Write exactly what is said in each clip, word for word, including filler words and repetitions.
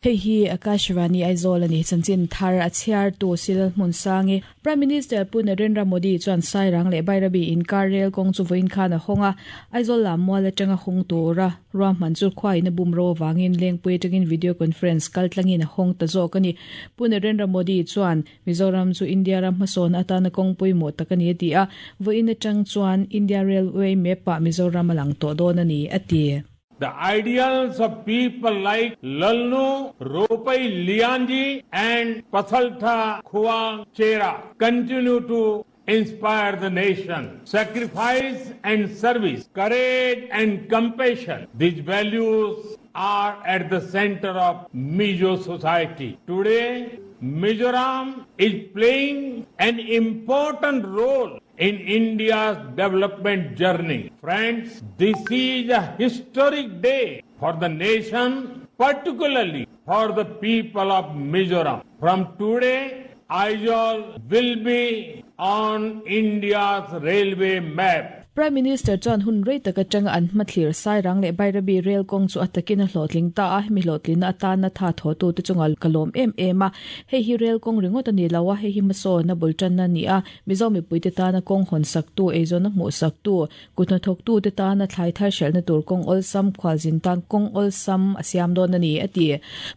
Hei hi Akashvani Aizawl ani chanchin thar a chhiar tu sil hmun sangi Prime Minister Pu Narendra Modi chuan Sairang leh Bairabi inkar rel kawng chu vawiin khan a hawng a Aizawl lam mual atanga hawng tura ruahman chu khuain a bum ro awangin lengpui atangin video conference kal tlangin a hawng ta zawk ani Pu Narendra Modi chuan Mizoram chu India ram hmasawn atana kawng pawimawh tak ani a ti a vawiin atang chuan India Railway map ah Mizoram a lang tawh dawn ani a ti. The ideals of people like Lalnu Ropai Lianji and Pasaltha Khuang Chera continue to inspire the nation. Sacrifice and service, courage and compassion, these values are at the center of Mizo society. Today, Mizoram is playing an important role in India's development journey. Friends, this is a historic day for the nation, particularly for the people of Mizoram. From today, Aizawl will be on India's railway map. Prime Minister chuan hun rei tak atanga an hmathlir Sairang leh Bairabi rail kawng chu a takin a hlawhtling ta a hemi hlawhtlina atana tha thaw tu te chunga kalawm em em a hei hi rail kawng ringawt ani lo a hei hi hmasawn a bul tanna ani a Mizo mipui te tana kawng hawn sak tu eizawn a hmuh sak tu kuthnathawk tu te tana thlai thar hrelhna tur kawng awlsam khualzin tan kawng awlsam a siam dawn ani a ti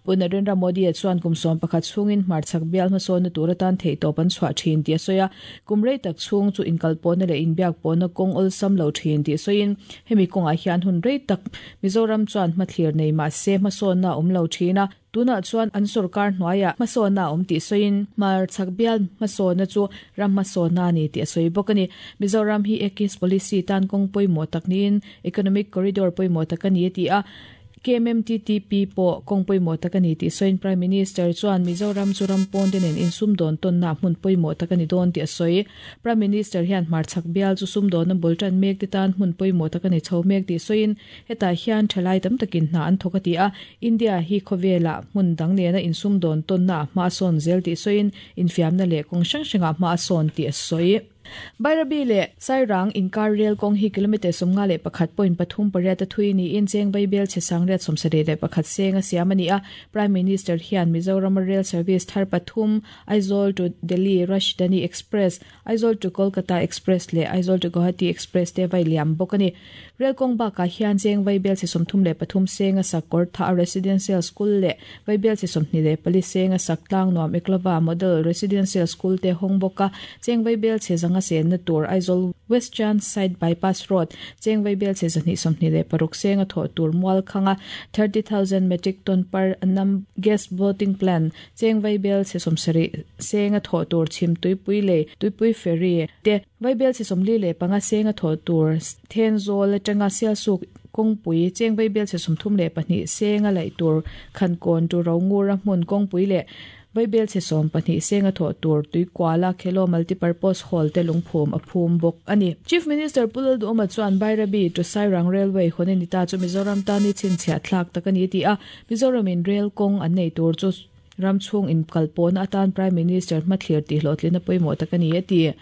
Pu Narendra Modi a chuan kum sawm pakhat chhungin hmarchhak bial hmasawnna tur atan theih tawp an chhuah thin tih a sawi a kum rei tak chhung chu inkalpawhna leh inbiak pawhna kawng awlsam lo thin tih sawiin hemi kawngah hian hun rei tak Mizoram chuan hmathlir nei mahse hmasawnna a awm lo thin a tunah chuan an sarkar hnuaiah hmasawnna a awm tih sawiin hmarchhak bial hmasawnna chu ram hmasawnna ani tih a sawi bawk ani Mizoram hi Ekis policy tan kawng pawimawh tak niin economic corridor pawimawh tak ani a ti a K M M T T P pawh kawng pawimawh tak ani tih sawiin Prime Minister chuan Mizoram chu ram pawn te nen insum dawn tawnna hmun pawimawh tak ani dawn tih a sawi Prime Minister hian hmarchhak bial chu sum dawn a bul tan mek te tan hmun pawimawh tak ani chho mek tih sawiin hetah hian thalai tam takin hna an thawk a ti a India hi khawvela hmun dang nena insum dawn tawnna hma sawn zel tih sawiin infiamna leh kawng hrang hrangah hma sawn tih a sawi Bairabi le Sairang inkar rail kawng hi kilometer sawmnga leh pakhat point pathum pariat a thui niin cheng vaibel che sangriat sawmsarih leh pakhat seng a siam ani a Prime Minister hian Mizoram Rail Service thar pathum Aizawl to Delhi Rajdhani Express Aizawl to Kolkata Express leh Aizawl to Guwahati Express te vai liam bawk ani rail kawng bakah hian cheng vaibel che sawmthum leh pathum seng a sak kawr tha a residential school leh vaibel che sawmhnih leh pali seng a sak tlang nuam Eklava Model Residential School te hawng bawk a cheng vaibel che zanga sen na tur Aizawl Western Side Bypass Road cheng vaibel che zahnih sawmhnih leh paruk seng a thawh tur mual khanga thirty thousand metric ton per annum gas boating plan cheng vaibel che sawmsarih seng a thawh tur chhim tuipui lei tuipui ferry te vaibel che sawmli leh panga seng a thawh tur Thenzawl atanga Sialsuk kawngpui cheng vaibel che sawmthum leh pahnih seng a laih tur khankawn tu rongura hmun kawngpui leh vaibel che sawm pahnih seng a thawh tur tuikuala khelo multipurpose hall te lungphum a phum bawk ani Chief Minister Pu Lalduhoma chuan Bairabi to Sairang Railway hawn ta chu Mizoram tani chhinchhiah thlak tak ani ti a Mizoramin rail kawng an nei tur chu ram chhung in kalpawhna atan Prime Minister hmathlir tih hlawhtlina pawimawh tak ani a ti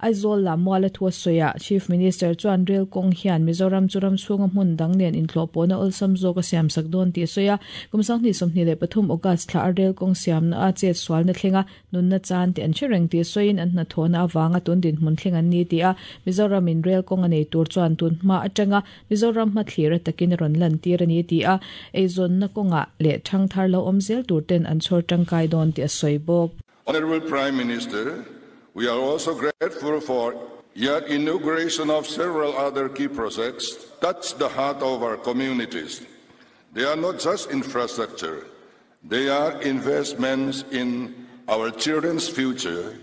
Aizawl lam mual a thu a sawi a Chief Minister chuan rail kawng hian Mizoram chu ram chhunga hmun dang nen inhlawhpawhna awlsam zawk a siam sak dawn tih a sawi a kum sanghnih sawmhnih leh pathum August thla a rail kawng siamna a chet sualna thlenga nunna chan te an hre reng tih sawiin an hnathawhna awanga tun dinhmun thleng an ni ti a Mizoramin rail kawng a nei tur chuan tun hma atanga Mizoram hmathlir a takin a rawn lan tir ani ti a eizawnna kawngah leh thang thar lo awm zel tur ten an chhawr tangkai dawn tih a sawi bawk. Honorable Prime Minister, we are also grateful for your inauguration of several other key projects touch the heart of our communities. They are not just infrastructure, they are investments in our children's future,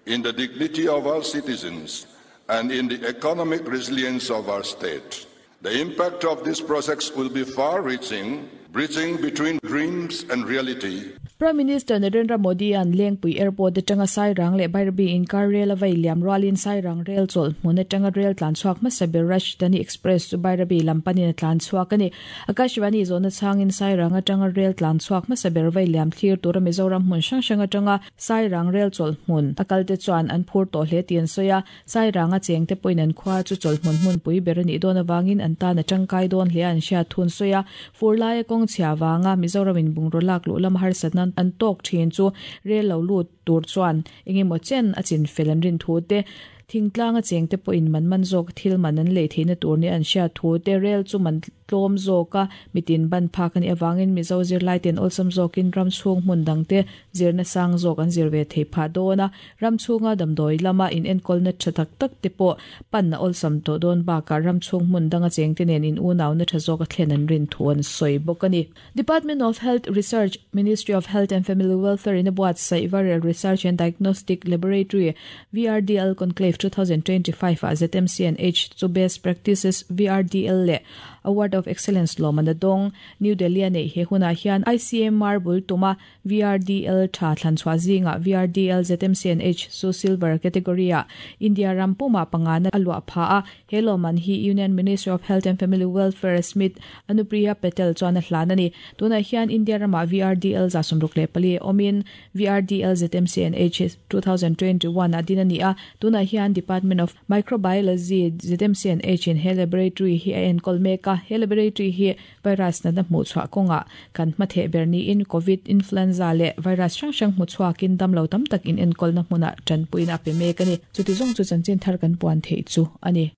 in the dignity of our citizens, and in the economic resilience of our state. The impact of these projects will be far-reaching, bridging between dreams and reality. Prime Minister Narendra Modi an Lengpui Airport atanga Sairang leh Bairabi inkar rel a vei liam rualin Sairang rel chawl hmun atanga rel tlan chhuak hmasa ber Rajdhani Express chu Bairabi lam panin a tlan chhuak a ni. Akashvani zawhna chhangin Sairang atanga rel tlan chhuak hmasa ber vei liam thlir tura Mizoram hmun hrang hrang atanga Sairang rel chawl hmun a kal te chuan an phur tawh hle tih an sawi a. Sairang a cheng te pawhin an khua chu chawl hmun hmun pui ber a nih dawn avangin an tan a tangkai dawn hle an hriat thun sawi a. Fur laia kawng chhia vanga Mizoramin bungraw lak luh lam harsatna an tawk thin chu rel lo lut tur chuan engemaw chen a chin fel an rin thu te thingtlang a cheng te pawhin man man zawk thil man an lei theihna tur ni an hriat thu te rel chu man tlawm zawk a mitin ban phak ani awangin Mizo zirlai ten awlsam zawkin ram chhung hmun dang te zirna sang zawk an zir ve thei phah dawn a ram chhunga damdawi lama in enkawlna tha tak tak te pawh pan na awlsam tawh dawn bakah ram chhung hmun danga cheng te nen in unauna tha zawk a thlen an rin thu an sawi bawk ani. Department of Health Research, Ministry of Health and Family Welfare in a buatsaih Viral Research and Diagnostic Laboratory V R D L Conclave twenty twenty-five a Z M C and H chu Best Practices V R D L le Award of Excellence lawman a dawng. New Delhi a nei he hunah hian I C M R bul tuma V R D L tha thlan chhuah zinga V R D L Z M C and H chu Silver category a India ram puma pangana a luah pha a. He lawman hi Union Ministry of Health and Family Welfare Smt Anupriya Patel chuan a hlan ani. Tunah hian India rama V R D L za sawmruk leh pali awmin V R D L Z M C and H twenty twenty-one a din ani a. Tunah hian Department of Microbiology Z M C and H in he laboratory hi a enkawl mek a. He laboratory hi virus na na hmuh chhuah kawnga kan hma ber ni in COVID, influenza leh virus hrang hrang hmu chhuakin damlo tam tak in enkawl na hmunah tanpuina a pe mek ani. Chuti zawng chu chanchin thar kan puan thei chu ani.